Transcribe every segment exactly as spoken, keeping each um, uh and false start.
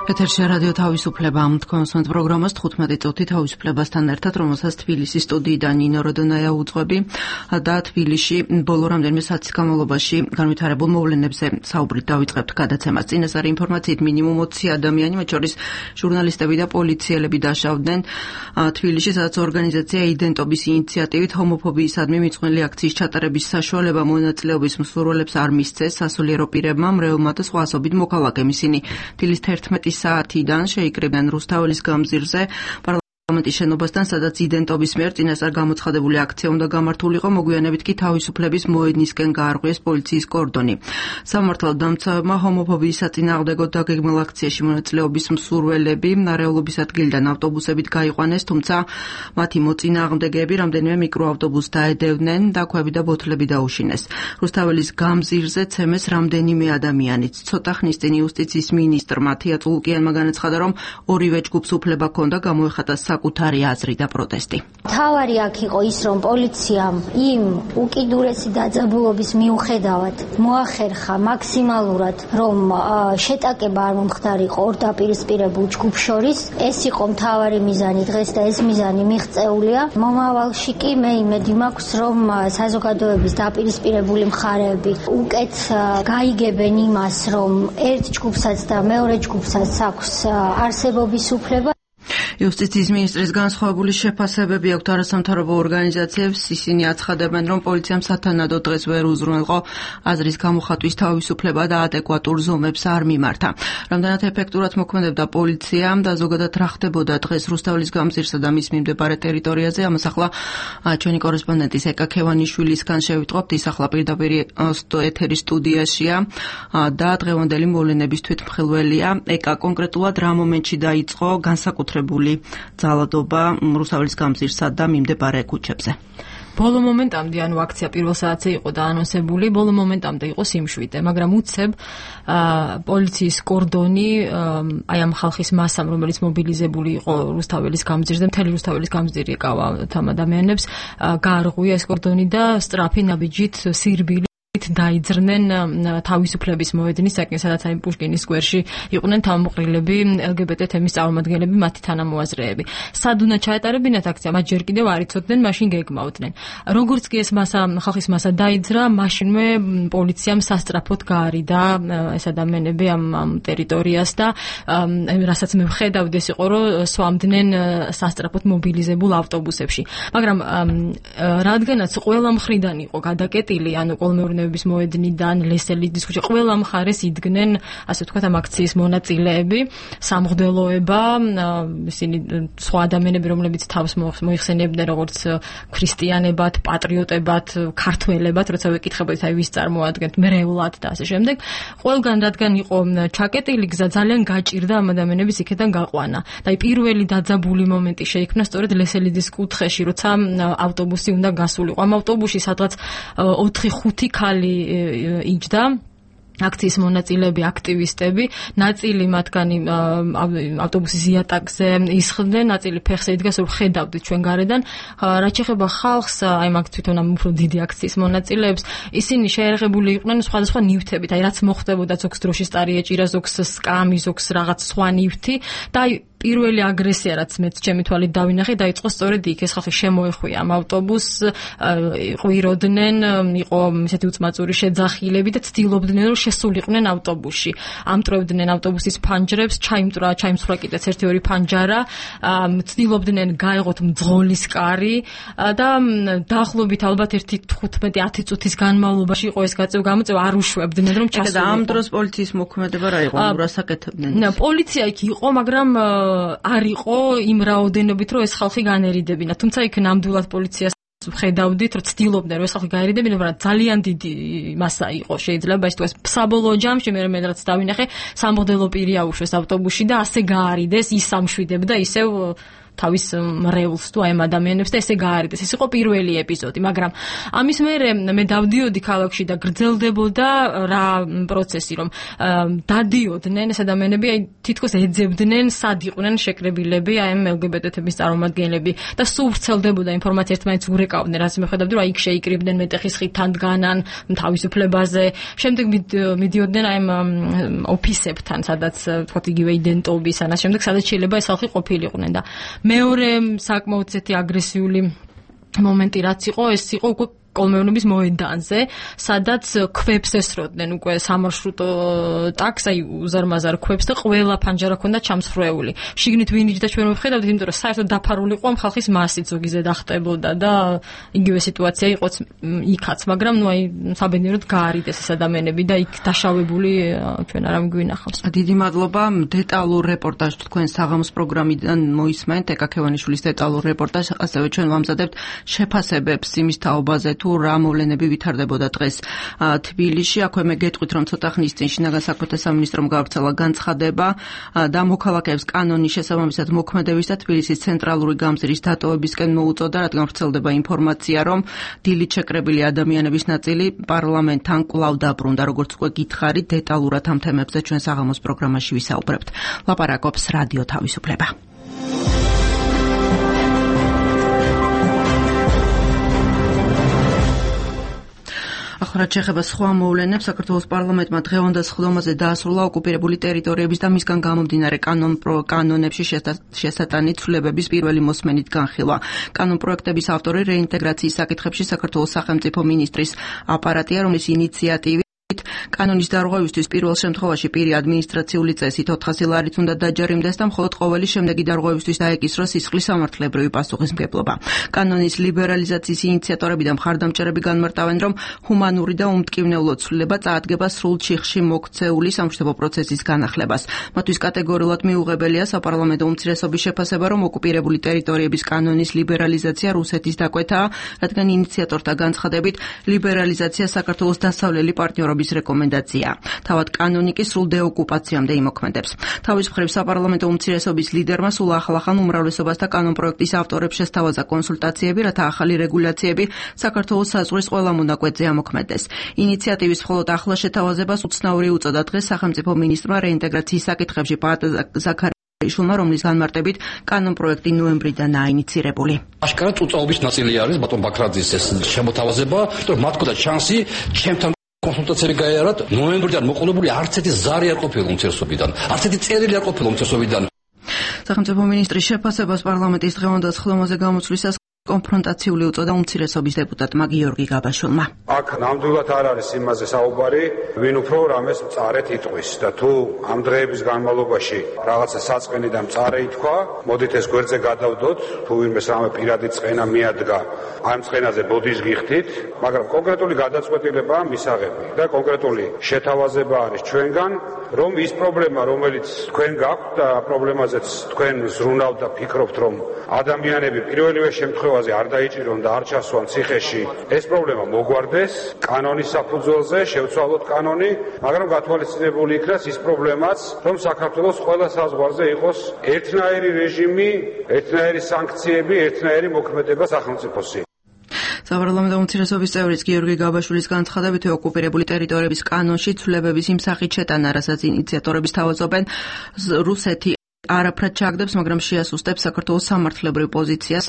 ეთერში რადიო თავისუფლება თქვენს პროგრამას თხუთმეტი წუთი თავისუფლებასთან ერთად, რომელსაც თბილისის სტუდიიდან ნინო როდონაია უძღვები და თბილისში ბოლო რამდენიმე საათის განმავლობაში განვითარებულ მოვლენებზე საუბრით დავიწყებთ გადაცემას. წინასწარი ინფორმაციით მინიმუმ ოცი ადამიანი, მათ შორის ჟურნალისტები და პოლიციელები დაშავდნენ თბილისში, სადაც ორგანიზაცია იდენტობის ინიციატივით ჰომოფობიისადმი მიძღვნილი აქციის ჩატარების საშუალება მონაწილეობის მსურველებს არ მისცეს სასულიერო პირებმა, მრევლმა და სხვა ასობით მოქალაქემ. ისინი დილის თერთმეტი საათიდან შეიკრიბნენ რუსთაველის გამზირზე პარლამენტის შენობასთან, სადაც იდენტობის მიერ წინასწარ გამოცხადებული აქცია უნდა გამართულიყო, მოგვიანებით კი თავისუფლების მოედნისკენ გაარღვიეს პოლიციის კორდონი. სამართალდამცავებმა ჰომოფობიის საწინააღმდეგო დაგეგმილ აქციაში მონაწილეობის მსურველები ნარეულობის ადგილიდან ავტობუსებით გაიყვანეს, თუმცა მათი მოწინააღმდეგეები რამდენიმე მიკროავტობუსს დაედევნენ და ქვები და ბოთლები დაუშინეს. რუსთაველის გამზირზე ცემეს რამდენიმე ადამიანიც. ცოტა ხნის წინ იუსტიციის მინისტრ მათია წულკიანმა განაცხადა, რომ ორივე ჯგუფს უფლება ჰქონდა გამოეხატა საკუთარი აზრი და პროტესტი. თავარი აქ იყო ის, რომ პოლიციამ იმ უკიდურესი დაძაბულობის მიუხედავად მოახერხა მაქსიმალურად, რომ შეტაკება არ მომხდარიყო ორ დაპირისპირებულ ჯგუფს შორის. ეს იყო მთავარი მიზანი დღეს და ეს მიზანი მიღწეულია. მომავალში კი მე იმედი მაქვს, რომ საზოგადოების დაპირისპირებული მხარეები უკეთ გაიგებენ იმას, რომ ერთ ჯგუფსაც და მეორე ჯგუფსაც აქვს არსებობის უფლება. იუსტიციის მინისტრის განსხვავებული შეფასებები აქვთ არასამთავრობო ორგანიზაციებს. ისინი აცხადებენ, რომ პოლიციამ სათანადო დღეს ვერ უზრუნველყო აზრის გამოხატვის თავისუფლება და ადეკვატურ ზომებს არ მიმართა. რამდენად ეფექტურად მოქმედებდა პოლიცია და ზოგადად რა ხდებოდა დღეს რუსთაველის გამზირსა და მის მიმდებარე ტერიტორიაზე, ამას ახლა ჩვენი კორესპონდენტის ეკა ქევანიშვილისგან შევიტყობთ. ის ახლა პირდაპირ ეთერის სტუდიაშია და დღევანდელი მოვლენების თვითმხილველია. ეკა, კონკრეტულად რა მომენტში დაიწყო განსაკუთრებული ძალადობა რუსთაველის გამზირსა და მიმდებარე ქუჩებზე? ბოლო მომენტამდე, ანუ აქცია პირველ საათზე იყო დაანონსებული, ბოლო მომენტამდე იყო სიმშვიდე, მაგრამ უცებ პოლიციის კორდონი აი ამ ხალხის მასამ, რომელიც მობილიზებული იყო რუსთაველის გამზირზე, მთელი რუსთაველის გამზირი ეკავა ამ ადამიანებს, გაარღვია ეს კორდონი და სწრაფი ნაბიჯით სირბილი დაიძრნენ თავისუფლების მოედნისაკენ, სადაც აი პუშკინის სკვერში იყვნენ თავმოყრილები, ელგებეტე თემის წარმომადგენლები, მათი თანამოაზრეები. სად უნდა ჩაეტარებინათ აქცია, მათ ჯერ კიდევ არ იცოდნენ, მაშინ გეგმავდნენ. როგორც კი ეს მასა, ხალხის მასა დაიძრა, მაშინვე პოლიციამ სასწრაფოდ გაარიდა ეს ადამიანები ამ ამ ტერიტორიას და რასაც მე ვხედავდი, ეს იყო, რომ სვამდნენ სასწრაფოდ მობილიზებულ ავტობუსებში. მაგრამ რადგანაც ყველა მხრიდან იყო გადაკეტილი, ანუ კოლმეურნეობის მოედნიდან ლესელიძის ქუჩა, ყველა მხარეს იდგნენ, ასე ვთქვათ, ამ აქციის მონაწილეები, სამღვდელოება, ისინი სხვა ადამიანები, რომლებიც თავს მოიხსენებდნენ როგორც ქრისტიანებად, პატრიოტებად, ქართველებად, როცა ვეკითხებოდით, აი ვის წარმოადგენთ, მრევლად და ასე შემდეგ. ყველგან რადგან იყო ჩაკეტილი გზა, ძალიან გაჭირდა ამ ადამიანების იქიდან გაყვანა. და აი პირველი დაძაბული მომენტი შეიქმნა სწორედ ლესელიძის კუთხეში, როცა ავტობუსი უნდა გასულიყო. ამ ავტობუსში სადღაც ოთხი ხუთი ქალი იჯდა, აქციის მონაწილეები, აქტივისტები, ნაწილი მათგანი ავტობუსის იატაკზე ისხდნენ, ნაწილი ფეხზე იდგა, რომ ხედავდით ჩვენ გარედან. რაც შეეხება ხალხს, აი მაგ თვითონ ამ უფრო დიდი აქციის მონაწილეებს, ისინი შეერაღებული იყვნენ სხვადასხვა ნივთებით, აი რაც მოხდებოდა, ზოგს დროშის ტარი ეჭირა, ზოგს სკამი, ზოგს რაღაც სხვა ნივთი და აი პირველი აგრესია, რაც მეც ჩემი თვალით დავინახე, დაიწყო სწორედ იქ. ეს ხალხი შემოეხვია ამ ავტობუსს, ყვიროდნენ, იყო ისეთი უწმაწური შეძახილები და ცდილობდნენ, რომ შესულიყვნენ ავტობუსში. ამტრევდნენ ავტობუსის ფანჯრებს, ჩაიმტრა, ჩაიმსხვრა კიდეც ერთი ორი ფანჯარა, ცდილობდნენ გაეღოთ მძღოლის კარი და დაახლოებით ალბათ ერთი თხუთმეტი ათი წუთის განმავლობაში იყო ეს გაწევა გამოწევა, არ უშვებდნენ, რომ ჩასულიყო. და ამ დროს პოლიციის მოქმედება რა იყო? რას აკეთებდნენ? პოლიცია იქ იყო, მაგრამ არ იყო იმ რაოდენობით, რომ ეს ხალხი განერიდებინა. თუმცა იქ ნამდვილად პოლიციას ვხედავდით, რომ ცდილობდნენ, რომ ეს ხალხი გაერიდებინა, მაგრამ ძალიან დიდი მასა იყო. შეიძლება ის თუ ეს საბოლოო ჯამში მე მე რაც დავინახე, სამღვდელო პირი აუშვეს ავტობუსში და ასე გაარიდეს, ის სამშვიდებდა, ისევ თავის მრევლს თუ აი ამ ადამიანებს და ესე გაარიდეს. ეს იყო პირველი ეპიზოდი, მაგრამ ამის მერე მე დავდიოდი ქალაქში და გრძელდებოდა რა პროცესი, რომ დადიოდნენ ეს ადამიანები, აი თითქოს ეძებდნენ, სად იყვნენ შეკრებილები, აი ამ ელ გი ბე ტე-ების წარმომადგენლები და სულ ვრცელდებოდა ინფორმაცია, ერთმანეთს ურეკავდნენ, რაც მიხედავდი, რომ აი იქ შეიკრიბდნენ მეტეხის ხიდთან დგანან, თავისუფლებაზე, შემდეგ მიდიოდნენ აი ამ ოფისებთან, სადაც თქვათ იგივე იდენტობის, ანას შემდეგ სადაც შეიძლება ეს ხალხი ყოფილიყვნენ და მეორე საკმაოდ ესეთი აგრესიული მომენტი რაც იყო, ეს იყო უკვე კოლმეურნეობის მოედანზე, სადაც ქვებს ესროდნენ უკვე სამარშრუტო ტაქსს, აი უზარმაზარ ქვებს და ყველა ფანჯარა ჰქონდა ჩამსხვრეული. შიგნით ვინიჯდა და ჩვენ ვხედავდით, იმიტომ რომ საერთოდ დაფარული იყო ამ ხალხის მასით, ზოგიზე დახტებოდა და იგივე სიტუაცია იყო იქაც, მაგრამ ნუ აი საბედნიეროდ გაარიდეს ეს ადამიანები და იქ დაშავებული ჩვენ არ ამგვინახავს. დიდი მადლობა. დეტალურ რეპორტაჟს თქვენ საღამოს პროგრამიდან მოისმენთ, ეკა ქევანიშვილის დეტალურ რეპორტაჟს, ასევე ჩვენ ვამზადებთ შეფასებებს იმის თაობაზე თუ რა მოვლენები ვითარდებოდა დღეს თბილისში. აქვე მე გეტყვით, რომ ცოტა ხნის წინ შინაგან საქმეთა სამინისტრომ გავრცელა განცხადება და მოქალაქეებს კანონის შესაბამისად მოქმედების და თბილისის ცენტრალური გამზირის დატოვებისკენ მოუწოდა, რადგან ვრცელდება ინფორმაცია, რომ დილით შეკრებილი ადამიანების ნაწილი პარლამენტთან კვლავ დაბრუნდა. როგორც უკვე გითხარით, დეტალურად ამ თემებზე ჩვენ საღამოს პროგრამაში ვისაუბრებთ. ლაპარაკობს რადიო თავისუფლება. ახლა შეეხება სხვა მოვლენებს, საქართველოს პარლამენტმა დღევანდელ სხდომაზე დაასრულა ოკუპირებული ტერიტორიების და მისგან გამომდინარე კანონებში შესატანი ცვლილებების პირველი მოსმენით განხილვა. კანონ პროექტების ავტორი რეინტეგრაციის საკითხებში საქართველოს სახელმწიფო მინისტრის აპარატია, რომლის ინიციატივით კანონის დარღვევისთვის პირველ შემთხვევაში პირი ადმინისტრაციული წესით ოთხასი ლარით უნდა დაჯერიმდეს და მხოლოდ ყოველი შემდეგი დარღვევისთვის დაეკისროს სისხლის სამართლებრივი პასუხისმგებლობა. კანონის ლიბერალიზაციის ინიციატორები და მხარდამჭერები განმარტავენ, რომ ჰუმანური და უმტკივნეულო ცვლილება წაადგება სრულ ჩიხში მოქცეული სამშვიდობო პროცესის განახლებას. მათთვის კატეგორიულად მიუღებელია საპარლამენტო უმცირესობის შეფასება, რომ ოკუპირებული ტერიტორიების კანონის ლიბერალიზაცია რუსეთის დაკვეთაა, რადგან ინიციატორთა განცხადებით ლიბერალიზაცია საქართველოს დასავლელი პარტნიორობის რეკომენდაცია. თავად კანონი კი სრულ დეოკუპაციამდე იმოქმედებს. თავის მხრივ საპარლამენტო უმცირესობის ლიდერმა სულ ახლახან უმრავლესობასთან კანონ პროექტის ავტორებს შესთავაზა კონსულტაციები, რათა ახალი რეგულაციები საქართველოს საზღვრის ყველა მონაკვეთზე ამოქმედდეს. ინიციატივის მხოლოდ ახლა შეთავაზებას უცნაური უწოდა დღეს სახელმწიფო მინისტრმა რეინტეგრაციის საკითხებში პაატ ზაქარიშვილმა, რომლის განმარტებით კანონ პროექტი ნოემბრიდანაა ინიცირებული. აშკარად უწაობის ნაწილი არის ბატონ ბაქრაძის ეს შემოთავაზება, რომ მათ ქონდა შანსი ჩემთან კონსულტაციები გაიარათ. ნოემბრიდან მოყოლებული არც ერთი ზარი არ ყოფილა უმცირესობიდან, არც ერთი წერილი არ ყოფილა უმცირესობიდან. სახელმწიფო მინისტრის შეფასებას პარლამენტის დღევანდელ სხდომაზე გამოცვლისას კონფრონტაციული უწოდა უმცირესობის დეპუტატმა გიორგი გაბაშვილმა. აქ ნამდვილად არ არის იმაზე საუბარი, ვინ უფრო რამეს მწარეთ იტყვის და თუ ამ დღეების განმავლობაში რაღაცა საწყენი და მწარე ითქვა, მოდით ეს გვერდზე გადავდოთ, თუ ვინმეს რამე პირადი წყენა მიადგა, ამ წყენაზე ბოდის გიხდით, მაგრამ კონკრეტული გადაწყვეტილებაა მისაღები და კონკრეტული შეთავაზება არის ჩვენგან, რომ ის პრობლემა, რომელიც თქვენ გაქვთ და პრობლემაზეც თქვენ ზრუნავთ და ფიქრობთ, რომ ადამიანები პირველივე შემთხვევაში არ დაიჭირონ და არ ჩასვან ციხეში, ეს პრობლემა მოგვარდეს, კანონის საფუძველზე შევცვალოთ კანონი, მაგრამ გათვალისწინებული იქნას ის პრობლემაც, რომ საქართველოს ყველა საზღვარზე იყოს ერთნაირი რეჟიმი, ერთნაირი სანქციები, ერთნაირი მოქმედება სახელმწიფოსი. საპარლამენტო უმცირესობის წევრის გიორგი გაბაშვილის განცხადებით, ოკუპირებული ტერიტორიების კანონში ცვლილებების იმ სახით შეტანა, რასაც ინიციატორები თავაზობენ, რუსეთი არაფრად ჩააგდებს, მაგრამ შეასუსტებს საქართველოს სამართლებრივ პოზიციას.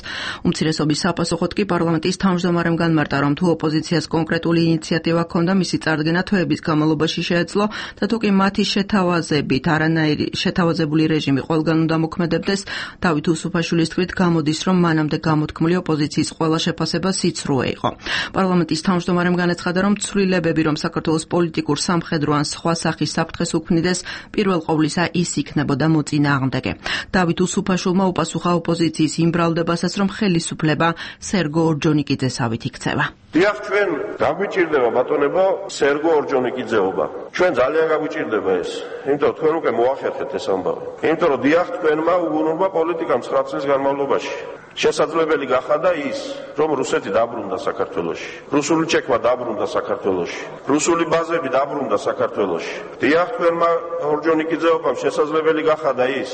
უმცირესობის საპასუხოდ კი პარლამენტის თავმჯდომარემ განმარტა, რომ თუ ოპოზიციას კონკრეტული ინიციატივა ჰქონდა, მისი წარდგენა თვეების განმავლობაში შეეძლო და თუ კი მათი შეთავაზებით არანაირი შეთავაზებული რეჟიმი ყველგან უნდა მოქმედებდეს, დავით უსუფაშვილის თქმით, გამოდის, რომ მანამდე გამოთქმული ოპოზიციის ყველა შეფასება სიცრუე იყო. პარლამენტის თავმჯდომარემ განაცხადა, რომ ცვლილებები, რომ საქართველოს პოლიტიკურ, სამხედრო ან სხვა სახის საფრთხეს უქმნიდეს, პირველ ყოვლისა ის იქნებოდა მოწინააღმდეგე. დავით უსუფაშვილმა უპასუხა ოპოზიციის იმ ბრალდებასაც, რომ ხელისუფლება სერგო ორჯონიკიძესავით იქცევა. დიახ, ჩვენ გაგვიჭირდება ბატონებო სერგო ორჯონიკიძეობა. ჩვენ ძალიან გაგვიჭირდება ეს. იმიტომ თქვენ უკვე მოახერხეთ ეს ამბავი. იმიტომ რომ დიახ, თქვენმა უგუნურმა პოლიტიკამ ცხრა წლის განმავლობაში შესაძლებელი გახადა ის, რომ რუსეთი დაბრუნდა საქართველოში. რუსული ჩექვა დაბრუნდა საქართველოში. რუსული ბაზები დაბრუნდა საქართველოში. დიახ, თქვენმა ორჯონიკიძეობამ შესაძლებელი გახადა ის,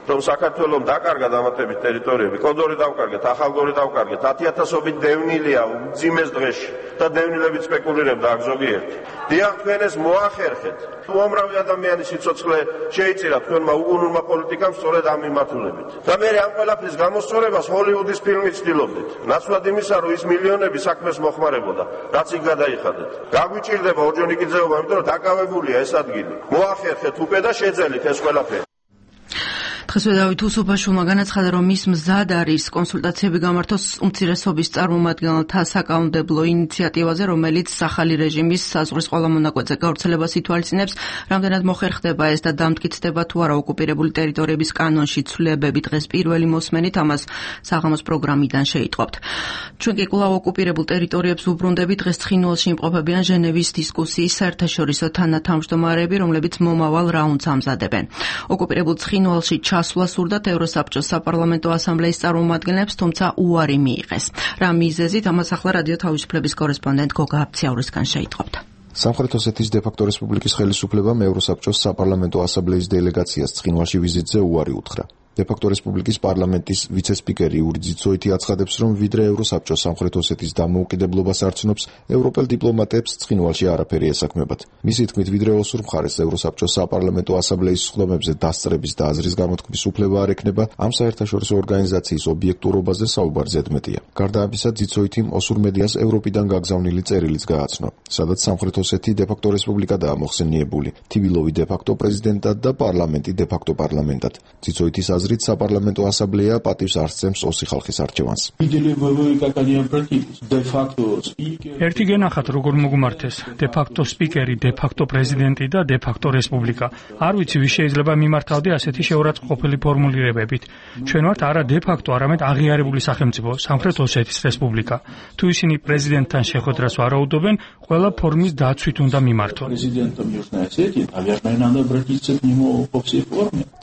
რომ საქართველოს დაკარგა დამატებით ტერიტორიები, კოდორი დავკარგეთ, ახალგორი დავკარგეთ, ათი ათასობით დევნილია უძიმეს დღეში და დევნილებით სპეკულირებდა აქ ზოგიერთი. დიახ, თქვენ ეს მოახერხეთ. უამრავი ადამიანის სიცოცხლე შეიწირა თქვენმა უგუნურმა პოლიტიკამ სწორედ ამ მიმართულებით. და მე ამ ყველაფრის გამოსწორებას ჰოლივუდის ფილმი ცდილობდით. ნაცვლად იმისა, რომ ის მილიონები საქმეს მოხმარებოდა, რაც იქ გადაიხადეთ. გაგვიჭირდება ორჯონიკიძეობა, იმიტომ რომ დაკავებულია ეს ადგილი. მოახერხეთ უკვე და შეძელით ეს ყველაფერი. დღესვე დავით უსუფაშვილმა განაცხადა, რომ ის მზად არის კონსულტაციები გამართოს უმცირესობის წარმომადგენელთა საკანონმდებლო ინიციატივაზე, რომელიც ახალი რეჟიმის საზღვრის ყველა მონაკვეთზე გავრცელებას ითვალისწინებს. რამდენად მოხერხდება ეს და დამტკიცდება თუ არა ოკუპირებული ტერიტორიების კანონში ცვლილებები, დღეს პირველი მოსმენით ამას საღამოს პროგრამიდან შეიტყობთ. ჩვენ კი კვლავ ოკუპირებულ ტერიტორიებს უბრუნდებით. დღეს ცხინვალში იმყოფებიან ჟენევის დისკუსიის საერთაშორისო თანათავმჯდომარეები, რომლებიც მომავალ რაუნდს ამზადებენ. ოკუპირებულ ცხინვალში ასვლა სურდათ ევროსაბჭოს საპარლამენტო ასამბლეის წარმომადგენლებს, თუმცა უარი მიიღეს. რა მიზეზით, ამას ახლა რადიო თავისუფლების კორესპონდენტ გოგა აბციაურისგან შეიტყობთ. სამხრეთ ოსეთის დე-ფაქტო რესპუბლიკის ხელისუფლებამ ევროსაბჭოს საპარლამენტო ასამბლეის დელეგაციას ცხინვალში ვიზიტზე უარი უთხრა. დე-ფაქტო რესპუბლიკის პარლამენტის ვიცე-სპიკერი იური ძიცოიტი აცხადებს, რომ ვიდრე ევროსაბჭო სამხრეთ ოსეთის დამოუკიდებლობას არცნობს, ევროპელ დიპლომატებს ცხინვალში არაფერი ესაქმებათ. მისი თქმით, ვიდრე ოსურ მხარეს ევროსაბჭოს საპარლამენტო ასამბლეის სხდომებზე დასწრების და აზრის გამოთქმის უფლება არ ექნება, ამ საერთაშორისო ორგანიზაციის ობიექტურობაზე საუბარი ზედმეტია. გარდა ამისა, ძიცოიტიმ ოსურ მედიას ევროპიდან გაგზავნილი წერილიც გააცნო, სადაც სამხრეთ ოსეთი დე-ფაქტო რესპუბლიკადაა მოხსენიებული, თივილოვი დე-ფაქტო პრეზიდენტად და პარლამენტი დე-ფაქტო პარლამენტად. ძიცოიტის აზრით საპარლამენტო ასამბლეა პატივს არ სცემს ოსი ხალხის არჩევანს. ერთი გენახათ როგორ მოგმართეს დე-ფაქტო სპიკერი, დე-ფაქტო პრეზიდენტი და დე-ფაქტო რესპუბლიკა. არ ვიცი ვის შეიძლება მიმართავდე ასეთი შეურაცხყოფილი ფორმულირებებით. ჩვენ ვართ არა დე-ფაქტო, არამედ აღიარებული სახელმწიფო, სამხრეთ ოსეთის რესპუბლიკა. თუ ისინი პრეზიდენტთან შეხვედრას ვარაუდობენ, ყველა ფორმის დაცვით უნდა მიმართონ.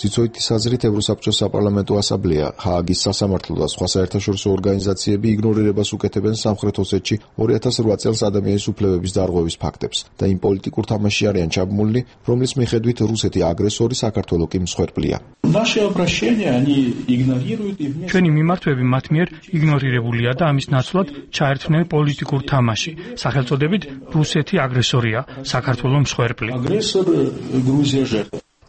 ძიცოიტის აზრით ევროსაბჭოს საპარლამენტო ასამბლეა, ჰააგის სასამართლო და სხვა საერთაშორისო ორგანიზაციები იგნორირებას უკეთებენ სამხრეთ ოსეთში ორი ათას რვა წელს ადამიანის უფლებების დარღვევის ფაქტებს და იმ პოლიტიკურ თამაშში არიან ჩაბმულნი, რომლის მიხედვით რუსეთი აგრესორი, საქართველო კი მსხვერპლია. ჩვენი მიმართვები მათ მიერ იგნორირებულია და ამის ნაცვლად ჩაერთვნენ პოლიტიკურ თამაში, სახელწოდებით რუსეთი აგრესორია, საქართველო მსხვერპლი.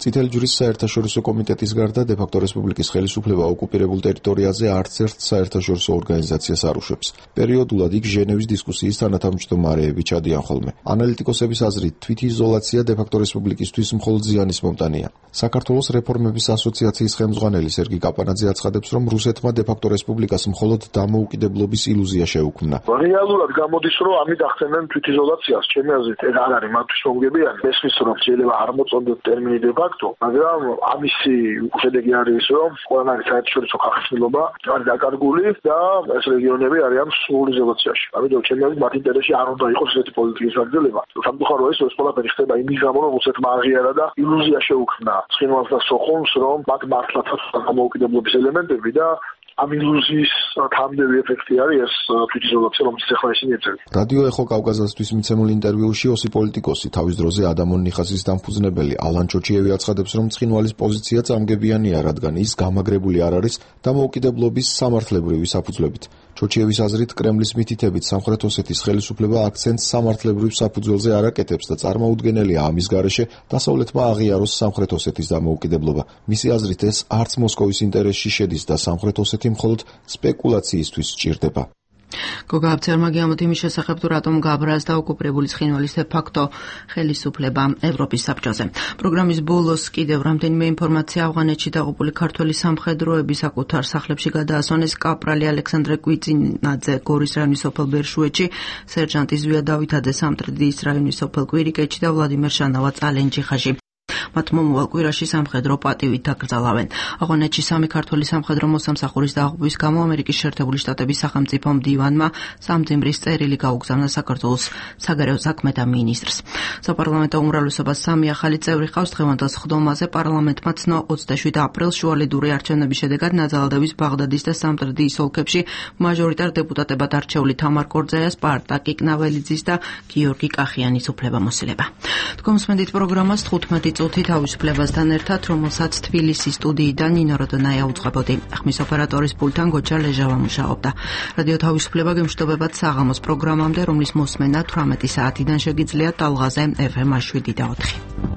წითელი ჯვრის საერთაშორისო კომიტეტის გარდა დე-ფაქტო რესპუბლიკის ხელისუფლება ოკუპირებულ ტერიტორიაზე არც ერთ საერთაშორისო ორგანიზაციას არ უშვებს. პერიოდულად იქ ჟენევის დისკუსიის თანათავმჯდომარეები ჩადიან ხოლმე. ანალიტიკოსების აზრით, თვითიზოლაცია დე-ფაქტო რესპუბლიკისთვის მხოლოდ ზიანის მომტანია. საქართველოს რეფორმების ასოციაციის ხელმძღვანელი სერგი კაპანაძე აცხადებს, რომ რუსეთმა დე-ფაქტო რესპუბლიკას მხოლოდ დამოუკიდებლობის ილუზია შეუქმნა. რეალურად გამოდის, რომ ამით ახდენენ თვითიზოლაციას. ჩემი აზრით, ეს არ არის მათთვის მომგებიანი. ესმის რომ შეიძლება არ მოწოდოთ ტერმინი დე-ფაქტო, მაგრამ ამისი შედეგი არის ის, რომ ყველანაირი საერთაშორისო ხალხმწიფობა არის დაკარგული და ეს რეგიონები არიან სრულ იზოლაციაში. ამიტომ ჩემი აზრით, მათ ინტერესში არ უნდა იყოს ესეთი პოლიტიკის გაგრძელება. სამწუხაროა ის, რომ ეს ყველაფერი ხდება იმის გამო, რომ რუსეთმა აღიარა და ილუზია შეუქმნა ცხინვალს და სოხუმს, რომ მათ მართლაც აქვს დამოუკიდებლობის ელემენტები და ამ ილუზიის თამდები ეფექტი არის ეს თვითიზოლაცია, რომელიც ახლა ისინი ეწევიან. რადიო ეხო კავკასიასთვის მიცემულ ინტერვიუში ოსი პოლიტიკოსი, თავის დროზე ადამონ ნიხასის დამფუძნებელი ალან ჩოჩიევი აცხადებს, რომ ცხინვალის პოზიცია წამგებიანია, რადგან ის გამაგრებული არ არის დამოუკიდებლობის სამართლებრივი საფუძვლებით. ჩოჩიევის აზრით, კრემლის მითითებით სამხრეთ ოსეთის ხელისუფლება აქცენტს სამართლებრივ საფუძველზე არ აკეთებს და წარმოუდგენელია ამის გარეშე დასავლეთმა აღიაროს სამხრეთ ოსეთის დამოუკიდებლობა. მისი აზრით, ეს არც მოსკოვის ინტერესში შედის და სამხრეთ oseti მხოლოდ სპეკულაციისთვის სჭირდება. გოგა აბციაურმა გიამოთ იმის შესახებ, თუ რატომ გაბრაზდა და ოკუპირებული ცხინვალის დე-ფაქტო ხელისუფლება ევროპის საბჭოზე. პროგრამის ბოლოს კიდევ რამდენიმე ინფორმაცია. ავღანეთში დაღუპული ქართველი სამხედროების საკუთარ სახლებში გადაასვენეს კაპრალი ალექსანდრე კვიცინაძე გორის რაიონის სოფელ ბერშუეთში, სერჟანტი ზვია დავითაძე სამტრედიის რაიონის სოფელ კვირიკეთში და ვლადიმერ შანავა წალენჯიხაში. მათ მომავალ კვირაში სამხედრო პატივით დაკრძალავენ. ავღანეთში სამი ქართველი სამხედრო მოსამსახურის დაღუპვის გამო ამერიკის შეერთებული შტატების სახელმწიფო მდივანმა სამძიმრის წერილი გაუგზავნა საქართველოს საგარეო საქმეთა მინისტრს. საპარლამენტო უმრავლესობას სამი ახალი წევრი ყავს. დღევანდელ სხდომაზე პარლამენტმა ცნო ოცდაშვიდ აპრილს შუალედური არჩევნების შედეგად ნაძალადევის ბაღდადის და სამტრედიის ოლქებში მაჟორიტარ დეპუტატებად არჩეული თამარ კორძაია, სპარტაკი კნაველიძის და გიორგი კახიანის უფლებამოსილება. თქვენ მსმენთ პროგრამას თხუთმეტი წუთით თავისუფლებასთან ერთად, რომელსაც თბილისის სტუდიიდან ნინო როდონაია უძღვებოდი. ხმის ოპერატორის პულტთან გოჩა ლეჟავა მუშაობდა. რადიო თავისუფლება გემშვიდობებათ საღამოს პროგრამამდე, რომლის მოსმენა თვრამეტი საათიდან შეგიძლიათ ტალღაზე ეფ ემ შვიდი და ოთხი.